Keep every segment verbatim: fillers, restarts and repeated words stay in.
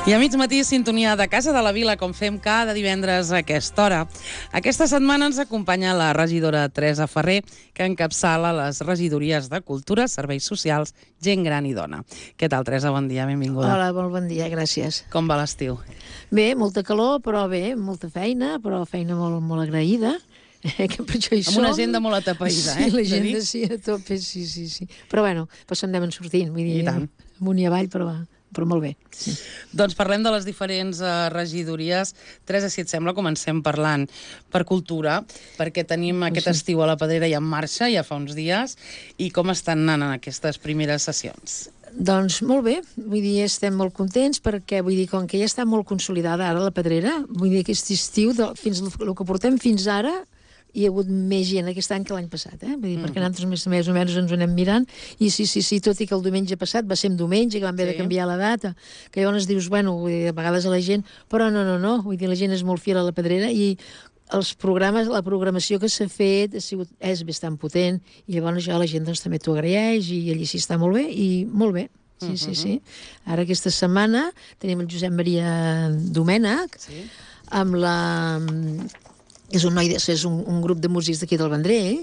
I a mig matí, sintonia de Casa de la Vila, com fem cada divendres a aquesta hora. Aquesta setmana ens acompanya la regidora Teresa Ferrer, que encapçala les regidories de Cultura, Serveis Socials, Gent Gran i Dona. Què tal, Teresa? Bon dia, benvinguda. Hola, molt bon dia, gràcies. Com va l'estiu? Bé, molta calor, però bé, molta feina, però feina molt, molt agraïda. Que per això hi som. Amb una agenda molt atapeïda, eh? Sí, l'agenda sí, a tope, sí, sí, sí. Però bueno, doncs en anem sortint, vull dir, I tant. amunt i avall, però va. Però molt bé. Sí. Doncs parlem de les diferents uh, regidories. Teresa, si et sembla, comencem parlant per cultura, perquè tenim Pues aquest sí. estiu a la Pedrera ja en marxa, ja fa uns dies, i com estan anant en aquestes primeres sessions? Doncs molt bé, vull dir, estem molt contents perquè, vull dir, com que ja està molt consolidada ara la Pedrera, vull dir, aquest estiu, de, fins el que portem fins ara, hi ha hagut més gent aquest any que l'any passat, eh? Vull dir, mm. perquè nosaltres més, més o menys ens ho anem mirant, i sí, sí, sí, tot i que el diumenge passat va ser un diumenge, que vam haver sí. de canviar la data, que llavors dius, bueno, vull dir, a vegades a la gent, però no, no, no, vull dir, la gent és molt fiel a la Pedrera, i els programes, la programació que s'ha fet ha sigut, és bastant potent, i llavors ja la gent doncs, també t'ho agraeix, i allí sí està molt bé, i molt bé. Sí, sí, sí. Ara aquesta setmana tenim el Josep Maria Domènech, sí. amb la... És un, noi, és un, un grup de músics d'aquí del Vendrell,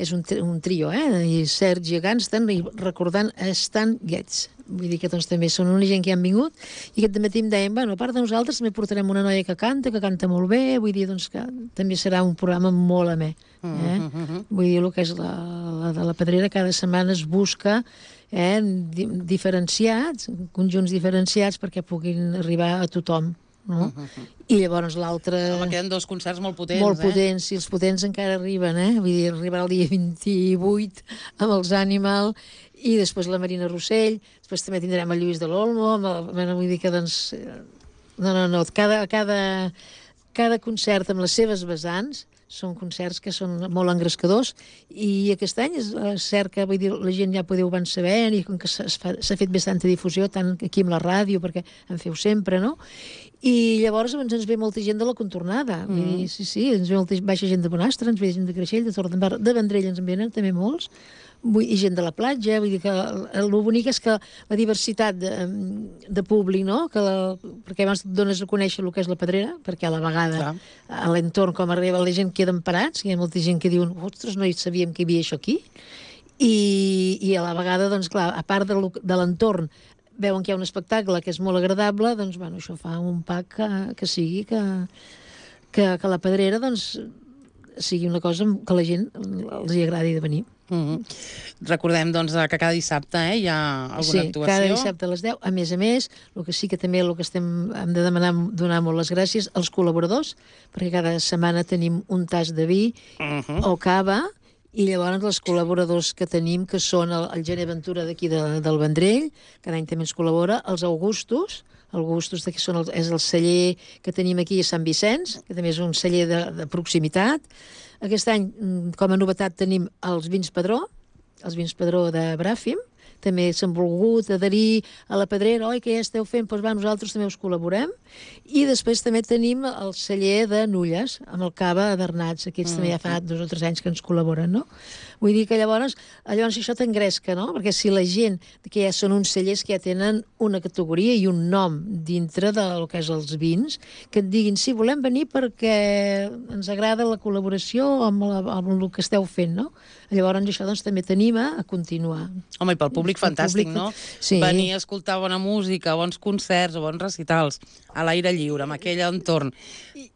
és un, un trio, eh? I Sergi Ganstan, i recordant Stan Getz. Vull dir que doncs, també són una gent que han vingut, i aquest matí em deien, bueno, a part de nosaltres també portarem una noia que canta, que canta molt bé, vull dir doncs, que també serà un programa molt amè. Eh? Mm -hmm. Vull dir, el que és la, la de la Pedrera, cada setmana es busca eh, di diferenciats, conjunts diferenciats perquè puguin arribar a tothom. No? Uh -huh. I llavors l'altre... Home, queden dos concerts molt potents, molt eh? Molt potents, i els potents encara arriben, eh? Vull dir, arribarà el dia vint-i-vuit amb els Animal, i després la Marina Rossell, després també tindrem el Lluís de l'Olmo, amb el... Bueno, vull dir que, doncs... No, no, no, cada, cada, cada concert amb les seves vessants són concerts que són molt engrescadors, i aquest any és cert que, vull dir, la gent ja podeu van saber, i com que s'ha fet bastanta difusió, tant aquí amb la ràdio, perquè en feu sempre, no? I llavors ens, ens ve molta gent de la contornada. Mm. Vull dir, sí, sí, ens ve molta baixa gent de Bonastre, ens ve gent de Creixell, de Torredembarra, de Vendrell ens en venen també molts, vull, i gent de la platja. Vull dir que el, el bonic és que la diversitat de, de públic, no? Que la, perquè abans et dones a conèixer el que és la Pedrera, perquè a la vegada Clar. a l'entorn com arriba la gent queden parats, hi ha molta gent que diuen, ostres, no hi sabíem que hi havia això aquí, i, i a la vegada, doncs clar, a part de, de l'entorn, veuen que hi ha un espectacle que és molt agradable, doncs, bueno, això fa un pack que, que sigui que, que, que la Pedrera, doncs, sigui una cosa que la gent els hi agradi de venir. Mm -hmm. Recordem, doncs, que cada dissabte eh, hi ha alguna sí, actuació. Sí, cada dissabte a les deu. A més a més, el que sí que també el que estem, hem de demanar, donar molt les gràcies als col·laboradors, perquè cada setmana tenim un tas de vi mm -hmm. o cava, i llavors els col·laboradors que tenim, que són el, el Gené Ventura d'aquí de, del Vendrell, cada any també ens col·labora, els Augustos, Augustos que són el, és el celler que tenim aquí a Sant Vicenç, que també és un celler de, de proximitat. Aquest any, com a novetat, tenim els vins Padró, els vins Padró de Bràfim, també s'han volgut adherir a la Pedrera, oi, que ja esteu fent, doncs va, nosaltres també us col·laborem. I després també tenim el celler de Nulles, amb el cava d'Arnats, aquests mm. també ja fa dos o tres anys que ens col·laboren, no? Vull dir que llavors, llavors això t'engresca, no? Perquè si la gent, que ja són uns cellers que ja tenen una categoria i un nom dintre del que és els vins, que et diguin, sí, volem venir perquè ens agrada la col·laboració amb, la, amb el que esteu fent, no? Llavors això doncs, també t'anima a continuar. Home, i pel públic fantàstic, públic, no? Sí. Venir a escoltar bona música, bons concerts o bons recitals, a l'aire lliure, amb aquell entorn,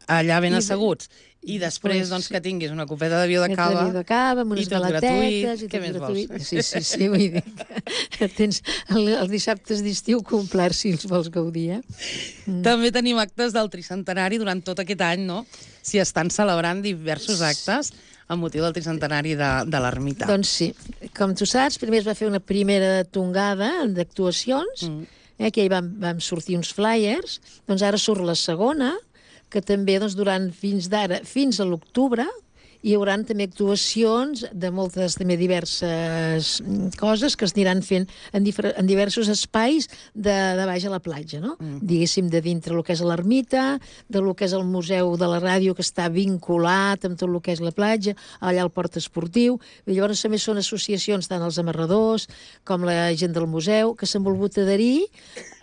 allà ben asseguts. I després, doncs, que tinguis una copeta de vi de cava, de cava amb unes i tot galatetes, gratuït. I Què més gratuït. vols? Sí, sí, sí, vull dir que tens el, els dissabtes d'estiu complerts si els vols gaudir, eh? Mm. També tenim actes del tricentenari durant tot aquest any, no? S'hi estan celebrant diversos actes amb motiu del tricentenari de, de l'ermita. Doncs sí. Com tu saps, primer es va fer una primera tongada d'actuacions, mm. eh, que hi vam, vam sortir uns flyers, doncs ara surt la segona, que també doncs, durant fins d'ara, fins a l'octubre, hi haurà també actuacions de moltes també diverses coses que es aniran fent en, en diversos espais de, de baix a la platja, no? Mm. Diguéssim, de dintre el que és l'ermita, de lo que és el museu de la ràdio, que està vinculat amb tot el que és la platja, allà al port esportiu. I llavors també són associacions, tant els amarradors com la gent del museu, que s'han volgut adherir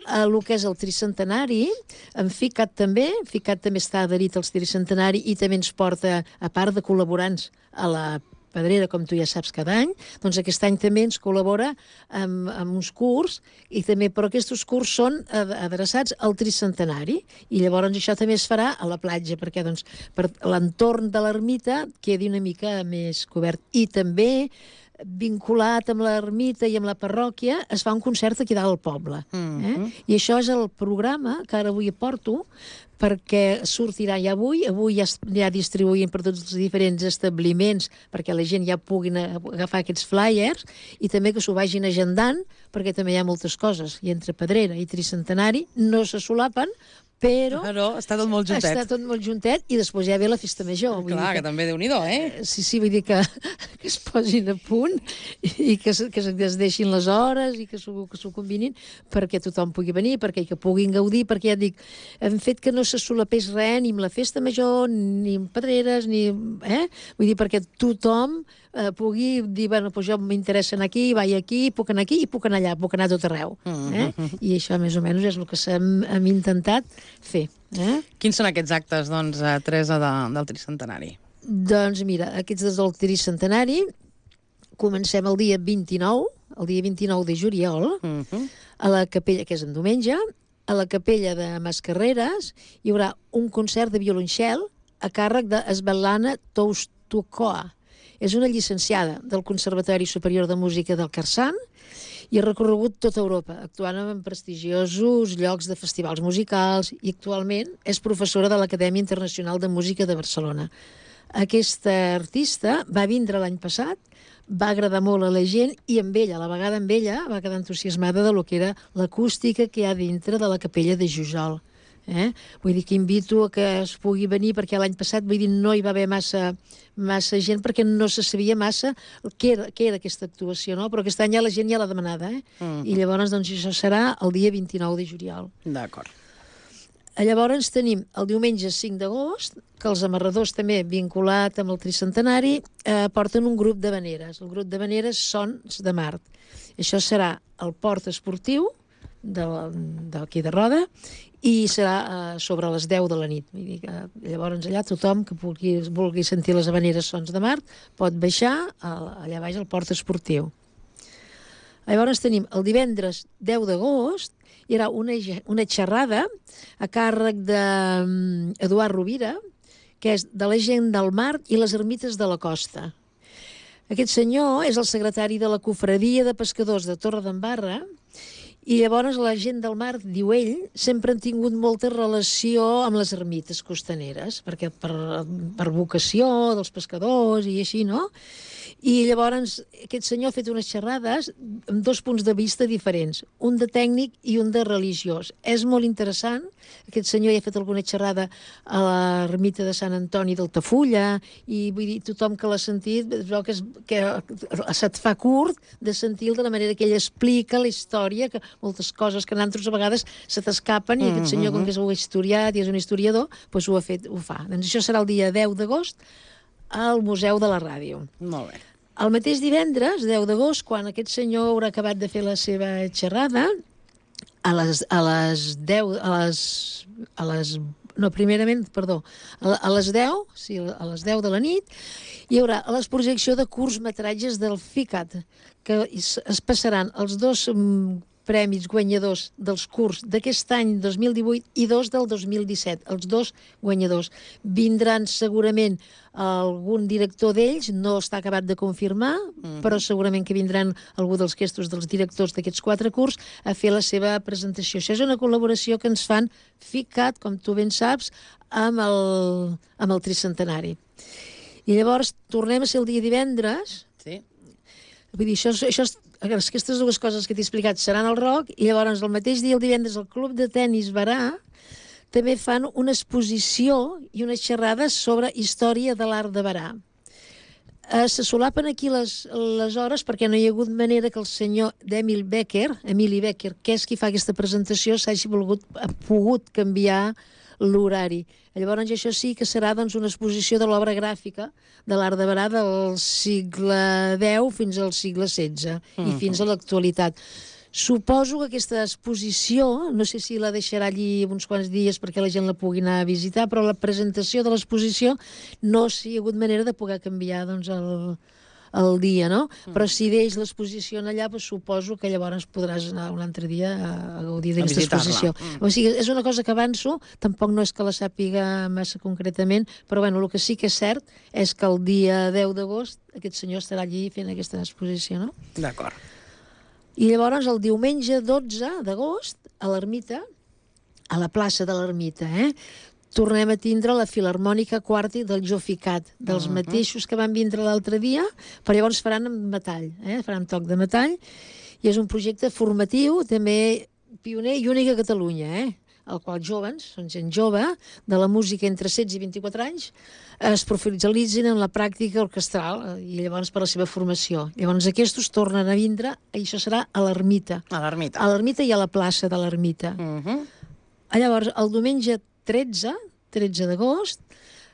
el que és el tricentenari, en FICAT també, FICAT també està adherit al tricentenari i també ens porta, a part de col·laborants a la Pedrera, com tu ja saps, cada any, doncs aquest any també ens col·labora amb, amb uns curs, i també, però aquests curs són adreçats al tricentenari, i llavors això també es farà a la platja, perquè doncs, per l'entorn de l'ermita quedi una mica més cobert. I també, vinculat amb l'ermita i amb la parròquia, es fa un concert aquí dalt al poble. Eh? I això és el programa que ara avui porto, perquè sortirà ja avui, avui ja, ja distribuïm per tots els diferents establiments perquè la gent ja puguin agafar aquests flyers, i també que s'ho vagin agendant, perquè també hi ha moltes coses, i entre Pedrera i Tricentenari no se solapen, però... Però està tot molt juntet. Està tot molt juntet, i després ja ve la festa major. Vull Clar, que, que també Déu-n'hi-do, eh? Sí, sí, vull dir que, que es posin a punt i que, que es deixin les hores i que s'ho combinin perquè tothom pugui venir, perquè que puguin gaudir, perquè ja et dic, hem fet que no se solapés res ni amb la festa major, ni amb Pedreres, ni... Eh? Vull dir, perquè tothom eh, pugui dir, bueno, doncs jo m'interessa anar aquí, vaig aquí, puc anar aquí i puc anar allà, puc anar a tot arreu. Eh? I això, més o menys, és el que hem, hem intentat fer. Eh? Quins són aquests actes, doncs, Teresa, de, del tricentenari? Doncs mira, aquests del tricentenari comencem el dia vint-i-nou, el dia vint-i-nou de juliol, uh -huh. a la capella, que és en diumenge, a la capella de Mascarreres hi haurà un concert de violoncel a càrrec de Svetlana Toustokoa. És una llicenciada del Conservatori Superior de Música del Carçan i ha recorregut tota Europa, actuant en prestigiosos llocs de festivals musicals, i actualment és professora de l'Acadèmia Internacional de Música de Barcelona. Aquesta artista va vindre l'any passat, va agradar molt a la gent, i amb ella, a la vegada amb ella, va quedar entusiasmada de lo que era l'acústica que hi ha dintre de la capella de Jujol. Eh? Vull dir que invito a que es pugui venir, perquè l'any passat, vull dir, no hi va haver massa, massa gent, perquè no se sabia massa què era, què era aquesta actuació, no? Però aquest any ja la gent ja l'ha demanada, eh? Mm. I llavors, doncs, això serà el dia vint-i-nou de juliol. D'acord. Llavors tenim el diumenge cinc d'agost, que els amarradors també, vinculat amb el tricentenari, eh, porten un grup de veneres. El grup de veneres Sons de Mart. Això serà el port esportiu d'aquí de, de Roda, i serà eh, sobre les deu de la nit. Vull dir que, llavors allà tothom que vulgui, vulgui sentir les habaneres Sons de Mart pot baixar a, allà baix al port esportiu. Llavors tenim el divendres deu d'agost, hi haurà una, una xerrada a càrrec d'Eduard Rovira, que és de la gent del mar i les ermites de la costa. Aquest senyor és el secretari de la Cofradia de Pescadors de Torredembarra, i llavors la gent del mar, diu ell, sempre han tingut molta relació amb les ermites costaneres, perquè per, per vocació dels pescadors i així, no? I llavors aquest senyor ha fet unes xerrades amb dos punts de vista diferents, un de tècnic i un de religiós. És molt interessant. Aquest senyor ja ha fet alguna xerrada a l'ermita de Sant Antoni d'Altafulla, i vull dir, tothom que l'ha sentit veu que, es, que se't fa curt de sentir de la manera que ell explica la història, que moltes coses que nosaltres a vegades se t'escapen, i aquest senyor, com que és un historiat i és un historiador, doncs ho ha fet, ho fa. Doncs això serà el dia deu d'agost al Museu de la Ràdio. Molt bé. El mateix divendres, deu d'agost, quan aquest senyor haurà acabat de fer la seva xerrada, a les, a les deu, a les, a les, no, primerament, perdó, a les deu, sí, a les deu de la nit, hi haurà l'exposició de curtmetratges del FICAT, que es passaran els dos premis guanyadors dels curts d'aquest any dos mil divuit i dos del dos mil disset, els dos guanyadors. Vindran segurament algun director d'ells, no està acabat de confirmar, mm-hmm. però segurament que vindran algú dels questos dels directors d'aquests quatre curts a fer la seva presentació. Això és una col·laboració que ens fan FICAT, com tu ben saps, amb el, amb el tricentenari. I llavors tornem a ser el dia divendres. Sí. Vull dir, això, això, aquestes dues coses que t'he explicat seran al Roc, i llavors el mateix dia, el divendres, al Club de Tenis Barà també fan una exposició i unes xerrades sobre història de l'art de Barà. Eh, se solapen aquí les, les hores perquè no hi ha hagut manera que el senyor d'Emil Becker, Emili Becker, que és qui fa aquesta presentació, s'hagi volgut, ha pogut canviar l'horari. Llavors això sí que serà, doncs, una exposició de l'obra gràfica de l'art de Barà del segle deu fins al segle setze, mm-hmm. i fins a l'actualitat. Suposo que aquesta exposició, no sé si la deixarà allí uns quants dies perquè la gent la pugui anar a visitar, però la presentació de l'exposició no s'hi ha hagut manera de poder canviar doncs, el, el dia, no? Mm. Però si deix l'exposició allà, doncs suposo que llavors podràs anar un altre dia a, a gaudir d'aquesta exposició. Mm. O sigui, és una cosa que avanço, tampoc no és que la sàpiga massa concretament, però bueno, el que sí que és cert és que el dia deu d'agost aquest senyor estarà allí fent aquesta exposició, no? D'acord. I llavors el diumenge dotze d'agost a l'Ermita, a la plaça de l'Ermita, eh? tornem a tindre la Filharmònica Quarti del Joficat, dels uh -huh. mateixos que van vindre l'altre dia, però llavors faran amb metall, eh? faran toc de metall, i és un projecte formatiu, també pioner i únic a Catalunya, eh? el qual joves, són gent jove, de la música entre setze i vint-i-quatre anys, es professionalitzen en la pràctica orquestral i llavors per la seva formació. Llavors aquests tornen a vindre i això serà a l'Ermita. A l'Ermita. A l'Ermita i a la plaça de l'Ermita. Uh -huh. Llavors, el diumenge tretze, tretze d'agost,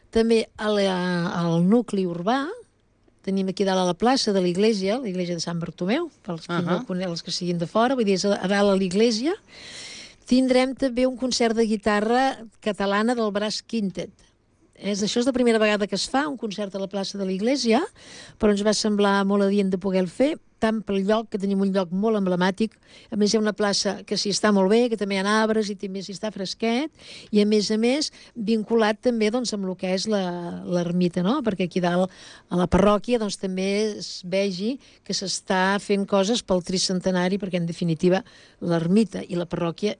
també a la, al nucli urbà, tenim aquí dalt a la plaça de l'Iglésia, l'Iglésia de Sant Bartomeu, pels que uh -huh. no coneixen, els que siguin de fora, vull dir, és a dalt a l'Iglésia, tindrem també un concert de guitarra catalana del Brass Quintet. És, això és la primera vegada que es fa, un concert a la plaça de l'Iglésia, però ens va semblar molt adient de poder-lo fer, tant pel lloc, que tenim un lloc molt emblemàtic, a més hi ha una plaça que s'hi està molt bé, que també hi ha arbres i també s'hi està fresquet, i a més a més vinculat també doncs, amb el que és l'ermita, no? Perquè aquí dalt a la parròquia doncs, també es vegi que s'està fent coses pel tricentenari, perquè en definitiva l'ermita i la parròquia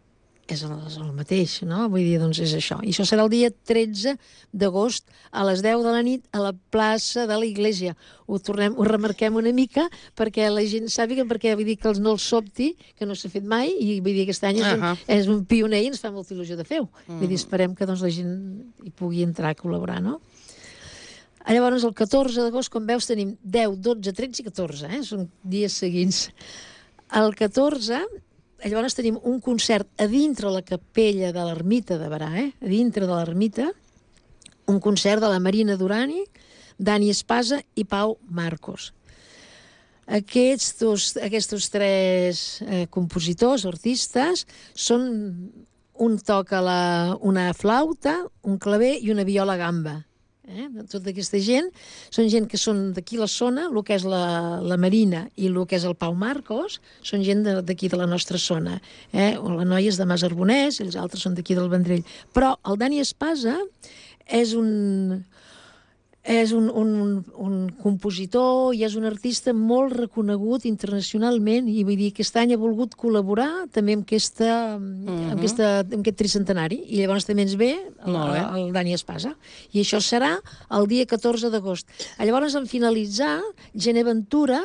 és el, és el mateix, no? Vull dir, doncs és això. I això serà el dia tretze d'agost a les deu de la nit a la plaça de l'Iglésia. Ho tornem, ho remarquem una mica perquè la gent sàpiga, perquè vull dir que els no els sobti, que no s'ha fet mai, i vull dir que aquest any és, uh -huh. un, és un pioner i ens fa molta il·lusió de fer-ho. Uh -huh. Vull dir, esperem que doncs, la gent hi pugui entrar a col·laborar, no? Llavors, el catorze d'agost, com veus, tenim deu, dotze, tretze i catorze, eh? Són dies seguits. El catorze... Llavors tenim un concert a dintre la capella de l'Ermita de Berà, eh? a dintre de l'Ermita, un concert de la Marina Durani, Dani Espasa i Pau Marcos. Aquests, dos, aquests tres eh, compositors, artistes, són un toca la, una flauta, un claver i una viola gamba. Eh? Tota aquesta gent són gent que són d'aquí la zona, el que és la, la Marina i el que és el Pau Marcos, són gent d'aquí de, de la nostra zona. Eh? La noia és de Mas Arbonès i els altres són d'aquí del Vendrell. Però el Dani Espasa és un... és un, un, un compositor i és un artista molt reconegut internacionalment i vull dir que aquest any ha volgut col·laborar també amb, aquesta, uh -huh. amb, aquesta, amb aquest tricentenari i llavors també ens ve el, el Dani Espasa. I això serà el dia catorze d'agost. Llavors, en finalitzar, Gené Ventura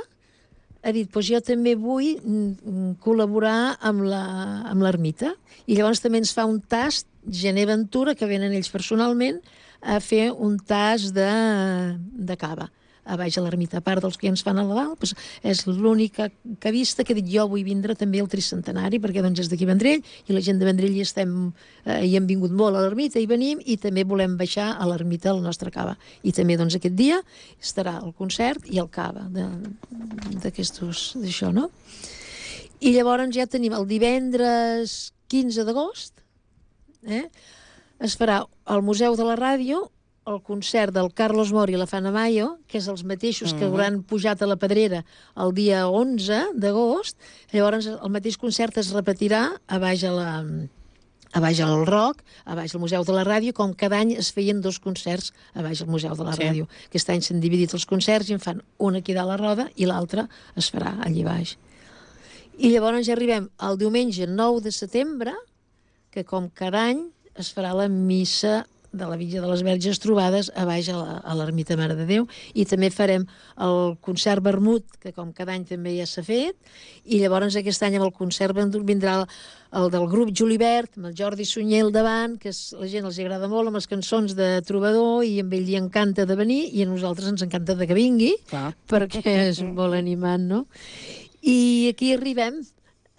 ha dit, doncs jo també vull col·laborar amb l'Ermita. I llavors també ens fa un tast, Gené Ventura, que venen ells personalment, a fer un tas de, de cava a baix a l'Ermita. A part dels que ens fan a la dalt, doncs és l'única cavista que dic jo vull vindre també al tricentenari, perquè doncs és d'aquí Vendrell, i la gent de Vendrell hi, estem, eh, hi hem vingut molt a l'Ermita, i venim, i també volem baixar a l'Ermita a la nostra cava. I també doncs aquest dia estarà el concert i el cava d'aquestos, d'això, no? I llavors ja tenim el divendres quinze d'agost, eh? es farà al Museu de la Ràdio el concert del Carlos Mori i la Fana Mayo, que és els mateixos que hauran pujat a la Pedrera el dia onze d'agost. Llavors el mateix concert es repetirà a baix a la... a baix al Roc, a baix al Museu de la Ràdio, com cada any es feien dos concerts a baix al Museu de la Ràdio. Sí. Aquest any s'han dividit els concerts i en fan un aquí dalt a la roda i l'altre es farà allà baix. I llavors ja arribem al diumenge nou de setembre, que com cada any es farà la missa de la Villa de les Verges Trobades a baix a l'Ermita Mare de Déu, i també farem el concert vermut, que com cada any també ja s'ha fet, i llavors aquest any amb el concert vindrà el, el del grup Julibert, amb el Jordi Sunyer al davant, que és, la gent els agrada molt amb les cançons de trobador, i amb ell li encanta de venir, i a nosaltres ens encanta de que vingui, clar, perquè és molt animant, no? I aquí arribem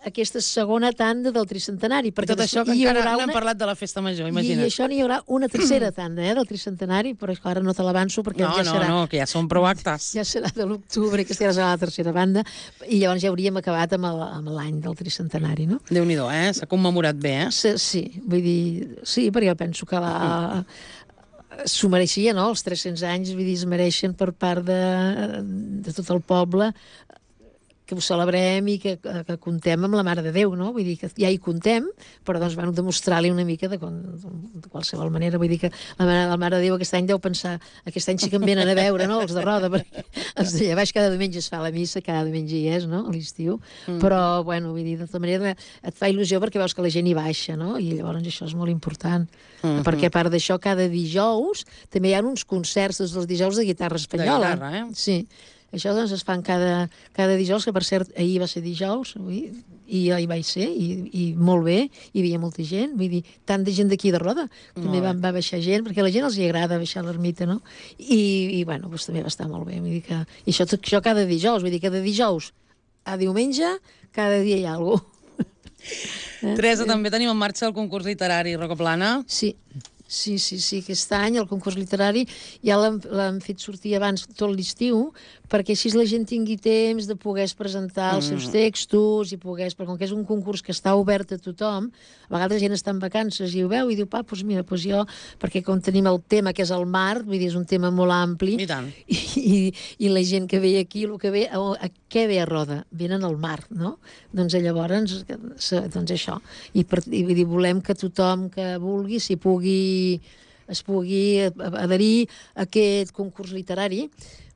aquesta segona tanda del tricentenari. I tot això que encara no hem parlat de la festa major, imagina't. I això n'hi haurà una tercera tanda, eh, del tricentenari, però ara no te l'avanço perquè no, ja serà... No, no, que ja són prou actes. Ja serà de l'octubre, que serà la tercera banda, i llavors ja hauríem acabat amb l'any del tricentenari, no? Déu-n'hi-do, eh? S'ha commemorat bé, eh? Sí, sí, vull dir... Sí, perquè jo penso que la... s'ho mereixia, no? Els tres-cents anys, vull dir, es mereixen per part de, de tot el poble que ho celebrem i que, que contem amb la Mare de Déu, no? Vull dir que ja hi contem, però doncs van demostrar-li una mica de, de qualsevol manera. Vull dir que la Mare, la Mare de Déu aquest any deu pensar, aquest any sí que em venen a veure, no?, els de Roda, perquè els de Llevaix cada diumenge es fa la missa, cada diumenge hi és, no?, a l'estiu, mm. però, bueno, vull dir, de tota manera et fa il·lusió perquè veus que la gent hi baixa, no?, i llavors això és molt important, mm-hmm. perquè a part d'això, cada dijous també hi ha uns concerts, tots els dijous de guitarra espanyola. De guitarra, eh? Sí. Això doncs es fan cada, cada dijous, que per cert ahir va ser dijous, ui, i ahir vaig ser, i, i molt bé, hi havia molta gent, vull dir, tant de gent d'aquí de Roda, també va, va baixar gent, perquè a la gent els hi agrada baixar l'ermita, no? I, i bueno, doncs també va estar molt bé, vull dir que... I això, això cada dijous, vull dir, cada dijous a diumenge, cada dia hi ha alguna cosa. Teresa, també tenim en marxa el concurs literari Rocaplana. Sí. Sí, sí, sí, aquest any el concurs literari ja l'hem fet sortir abans tot l'estiu, perquè així la gent tingui temps de poder presentar els seus textos i pogués, perquè com que és un concurs que està obert a tothom, a vegades la gent està en vacances i ho veu i diu, pa, doncs mira, doncs jo, perquè com tenim el tema que és el mar, vull dir, és un tema molt ampli, i, tant. i, i, i la gent que ve aquí, el que ve, a, a què ve a Roda? Venen al mar, no? Doncs llavors, doncs això. I, per, i vull dir, volem que tothom que vulgui, si pugui es pugui adherir a aquest concurs literari,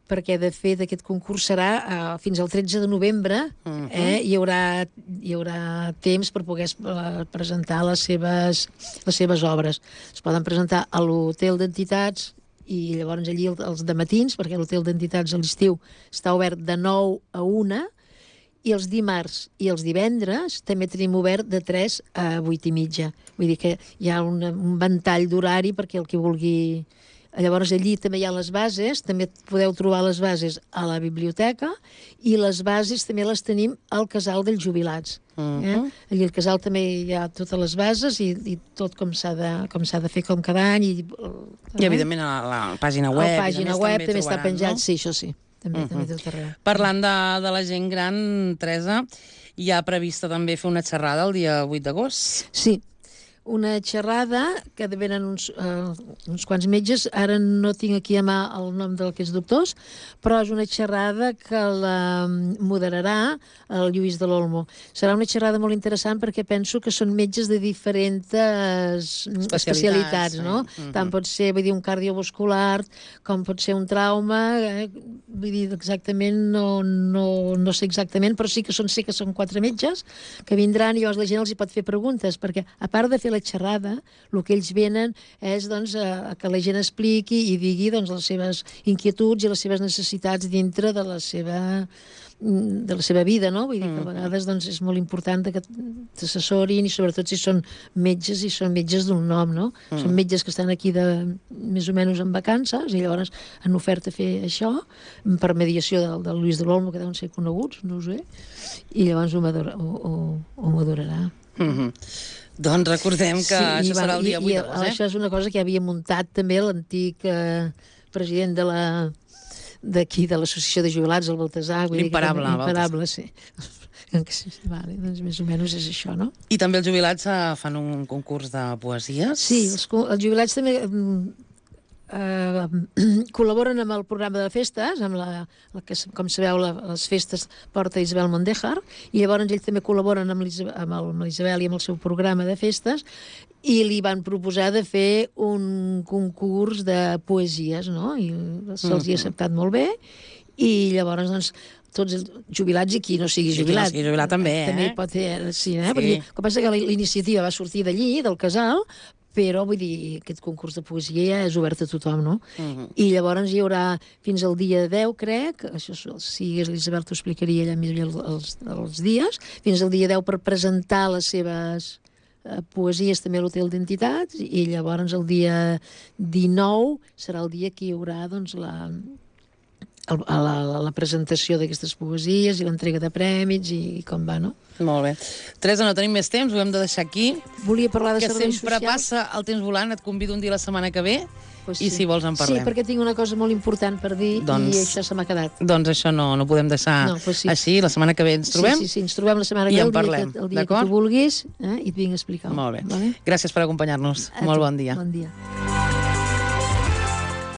perquè de fet aquest concurs serà uh, fins al tretze de novembre, uh-huh. eh? hi, haurà, hi haurà temps per poder uh, presentar les seves, les seves obres. Es poden presentar a l'Hotel d'Entitats i llavors allí els dematins, perquè l'Hotel d'Entitats a l'estiu està obert de nou a una, i els dimarts i els divendres també tenim obert de tres a vuit i mitja. Vull dir que hi ha un, un ventall d'horari perquè el que vulgui... Llavors allí també hi ha les bases, també podeu trobar les bases a la biblioteca, i les bases també les tenim al Casal dels Jubilats. Uh-huh. eh? Allí al Casal també hi ha totes les bases i, i tot com s'ha de, com s'ha de fer com cada any. I, eh? I evidentment a la, la pàgina web. A la pàgina web també, també està penjat, no? sí, això sí. També, uh-huh. també tot arreu. Parlant de, de la gent gran, Teresa, hi ha prevista també fer una xerrada el dia vuit d'agost? Sí, una xerrada que venen uns, uh, uns quants metges, ara no tinc aquí a mà el nom d'aquests doctors, però és una xerrada que la moderarà el Lluís de l'Olmo. Serà una xerrada molt interessant perquè penso que són metges de diferents especialitats, especialitats no? Sí. Uh-huh. Tant pot ser, vull dir, un cardiovascular, com pot ser un trauma, eh? Vull dir, exactament, no, no, no sé exactament, però sí que són, sé que són quatre metges que vindran i llavors la gent els hi pot fer preguntes, perquè a part de fer la xerrada, el que ells venen és doncs, a, a que la gent expliqui i digui doncs, les seves inquietuds i les seves necessitats dintre de la seva, de la seva vida, no? Vull dir que a vegades doncs, és molt important que t'assessorin, i sobretot si són metges i són metges d'un nom, no? Mm. Són metges que estan aquí de, més o menys en vacances i llavors han ofert a fer això per mediació del, del Lluís de l'Olmo, que deuen ser coneguts, no ho sé, i llavors ho, madura, ho, ho, ho madurarà. Mm-hmm. Doncs recordem que sí, això va, serà el dia vuit d'agost, eh? Això és una cosa que havia muntat també l'antic eh, president de la d'aquí, de l'Associació de Jubilats, el Baltasar. L'imparable. L'imparable, sí. Vale, doncs més o menys és això, no? I també els jubilats eh, fan un concurs de poesies? Sí, els, els jubilats també... Uh, col·laboren amb el programa de festes, amb la, la que, com sabeu, la, les festes porta Isabel Mondéjar, i llavors ells també col·laboren amb l'Isabel i amb el seu programa de festes, i li van proposar de fer un concurs de poesies, no? I se'ls hi ha acceptat molt bé, i llavors, doncs, tots els jubilats i qui no sigui jubilat. Qui no sigui jubilat també, eh? També pot ser, sí, eh? Sí. Perquè, com passa que la iniciativa va sortir d'allí, del casal, però, vull dir, aquest concurs de poesia ja és obert a tothom, no? Uh-huh. I llavors hi haurà fins al dia deu, crec, això si l'Isabel t'ho explicaria allà millor els, els dies, fins al dia deu per presentar les seves eh, poesies també a l'Hotel d'Entitats, i llavors el dia dinou serà el dia que hi haurà, doncs, la, el, a la, a la presentació d'aquestes poesies i l'entrega de prèmits i, i com va, no? Molt bé. Teresa, no tenim més temps, ho hem de deixar aquí. Volia parlar de que serveis sempre socials. passa el temps volant, et convido un dia la setmana que ve Pues i sí. si vols en parlem. Sí, perquè tinc una cosa molt important per dir Doncs- i això se m'ha quedat. Doncs això no, no podem deixar No, pues sí. així, la setmana que ve ens trobem. Sí, sí, sí, ens trobem la setmana i que ve, en el dia, parlem, que, el dia que d'acord? tu vulguis, eh, i et vinc a explicar. Molt bé. Vale? Gràcies per acompanyar-nos. A Molt tu. bon dia. Bon dia.